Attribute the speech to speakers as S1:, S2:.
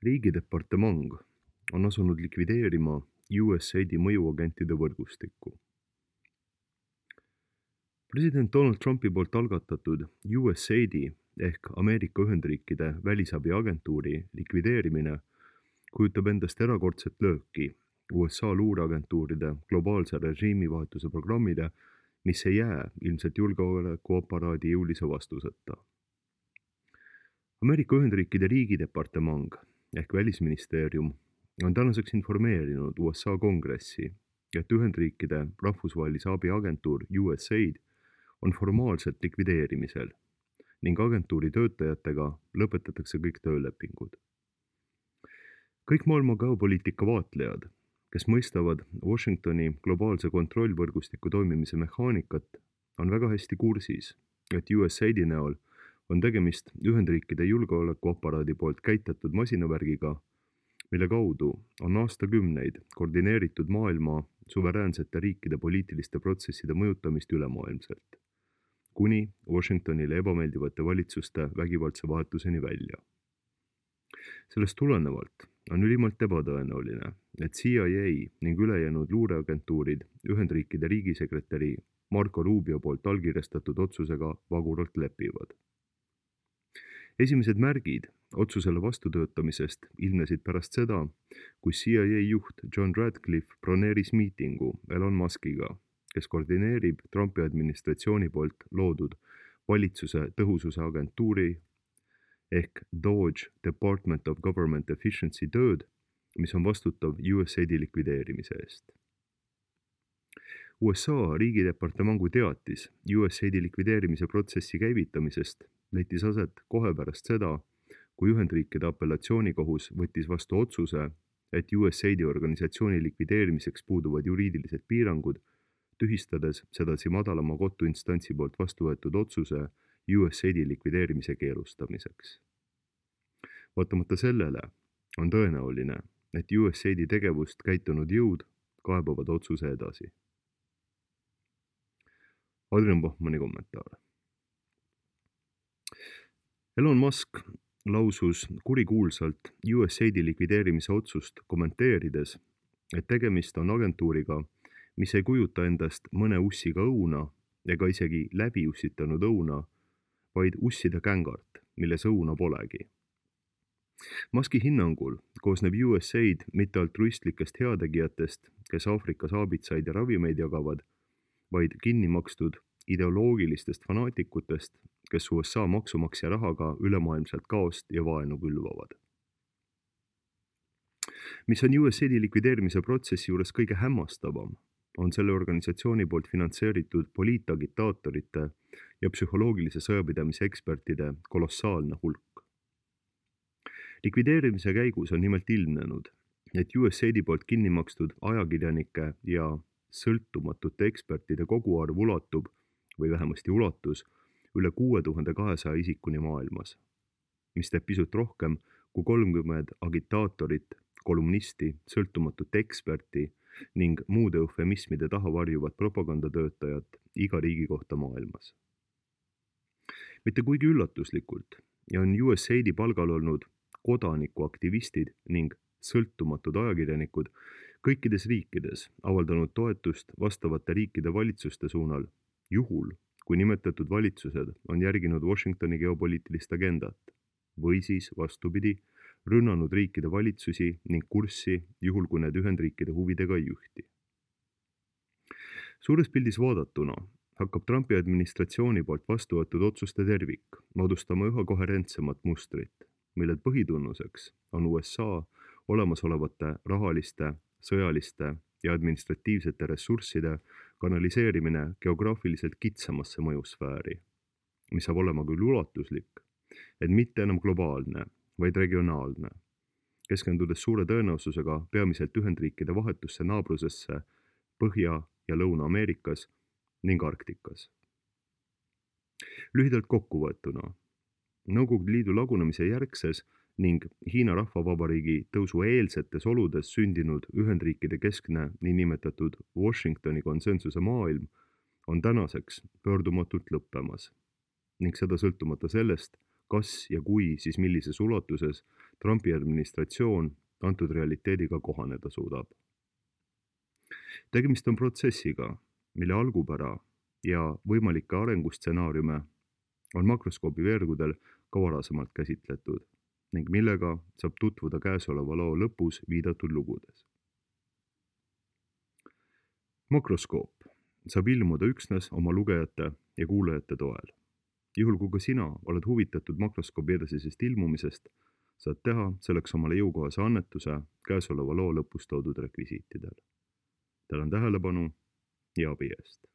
S1: Riigidepartement on asunud likvideerima USAID-i mõjuagentide võrgustikku. President Donald Trumpi poolt algatatud USAID-i ehk Ameerika Ühendriikide välisabiagentuuri likvideerimine kujutab endast erakordset lööki USA luureagentuuride globaalse režiimivahetuse programmile, mis ei jää ilmselt julgeolekuaparaadi jõulise vastuseta. Ameerika Ühendriikide riigidepartement ehk välisministeerium on tänaseks informeerinud USA kongressi, et Ühendriikide rahvusvahelise abiagentuur USAID on formaalselt likvideerimisel ning agentuuri töötajatega lõpetatakse kõik töölepingud. Kõik maailma geopoliitika vaatlejad, kes mõistavad Washingtoni globaalse kontrollvõrgustiku toimimise mehaanikat, on väga hästi kursis, et USAID-i näol on tegemist Ühendriikide julgeolekuaparaadi poolt käitatud masinavärgiga, mille kaudu on aastakümneid koordineeritud maailma suveräänsete riikide poliitiliste protsesside mõjutamist ülemaailmselt, kuni Washingtonile ebameeldivate valitsuste vägivaldse vahetuseni välja. Sellest tulenevalt on ülimalt ebatõenäoline, et CIA ning ülejäänud luureagentuurid Ühendriikide riigisekretäri Marco Rubio poolt allkirjastatud otsusega vaguralt lepivad. Esimesed märgid otsusele vastutöötamisest ilmnesid pärast seda, kui CIA juht John Radcliffe broneeris miitingu Elon Muskiga, kes koordineerib Trumpi administratsiooni poolt loodud valitsuse tõhususe agentuuri ehk DOGE Department of Government Efficiency tööd, mis on vastutav USAID-i likvideerimise eest. USA riigidepartemangu teatis USAID-i likvideerimise protsessi käivitamisest leidis aset kohe pärast seda, kui Ühendriikide apellatsioonikohus võttis vastu otsuse, et USAID-i organisatsiooni likvideerimiseks puuduvad juriidilised piirangud, tühistades sedasi madalama kohtuinstantsi poolt vastu võetud otsuse USAID-i likvideerimise keelustamiseks. Vaatamata sellele on tõenäoline, et USAID-i tegevust käitunud jõud kaebavad otsuse edasi. Adrian Bachmanni kommentaar. Elon Musk lausus kurikuulsalt USAID-i likvideerimise otsust kommenteerides, et tegemist on agentuuriga, mis ei kujuta endast mõne ussiga õuna ega isegi läbi ussitanud õuna, vaid usside kängart, milles õuna polegi. Muski hinnangul koosneb USAID mitte altruistlikest heategijatest, kes Aafrikas aabitsaid ja ravimeid jagavad, vaid kinni makstud ideoloogilistest fanaatikutest, kes USA maksumaksja rahaga ülemaailmselt kaost ja vaenu külvavad. Mis on USAID-i likvideerimise protsessi juures kõige hämmastavam, on selle organisatsiooni poolt finantseeritud poliitagitaatorite ja psühholoogilise sõjapidamise ekspertide kolossaalne hulk. Likvideerimise käigus on nimelt ilmnenud, et USAID-i poolt kinni makstud ajakirjanike ja sõltumatute ekspertide koguarv ulatub, või vähemasti ulatus, üle 6200 isikuni maailmas, mis teeb pisut rohkem kui 30 agitaatorit, kolumnisti, sõltumatut eksperti ning muude eufemismide taha varjuvat propagandatöötajat iga riigi kohta maailmas. Mitte kuigi üllatuslikult on USAID-i palgal olnud kodanikuaktivistid ning sõltumatud ajakirjanikud kõikides riikides avaldanud toetust vastavate riikide valitsuste suunal, juhul, kui nimetatud valitsused on järginud Washingtoni geopoliitilist agendat või siis vastupidi, rünnanud riikide valitsusi ning kurssi, juhul kui need Ühendriikide huvidega ei ühti. Suures pildis vaadatuna hakkab Trumpi administratsiooni poolt vastu võetud otsuste tervik moodustama üha koherentsemat mustrit, mille põhitunnuseks on USA olemasolevate rahaliste, sõjaliste ja administratiivsete ressursside kanaliseerimine geograafiliselt kitsamasse mõjusfääri, mis saab olema küll ulatuslik, et mitte enam globaalne, vaid regionaalne, keskendudes suure tõenäosusega peamiselt Ühendriikide vahetusse naabrusesse Põhja- ja Lõuna-Ameerikas ning Arktikas. Lühidalt kokkuvõetuna, Nõukogude Liidu lagunemise järgses ning Hiina Rahvavabariigi tõusu eelsetes oludes sündinud Ühendriikide keskne niinimetatud Washingtoni konsensuse maailm on tänaseks pöördumatult lõppemas ning seda sõltumata sellest, kas ja kui, siis millises ulatuses Trumpi administratsioon antud realiteediga kohaneda suudab. Tegemist on protsessiga, mille algupära ja võimalikke arengustsenaariume on makroskoobi veergudel ka varasemalt käsitletud ning millega saab tutvuda käesoleva loo lõpus viidatud lugudes. Makroskoop saab ilmuda üksnes oma lugejate ja kuulajate toel. Juhul kui ka sina oled huvitatud makroskoobi edasisest ilmumisest, saad teha selleks omale jõukohase annetuse käesoleva loo lõpus toodud rekvisiitidel. Tänan tähelepanu ja abi eest!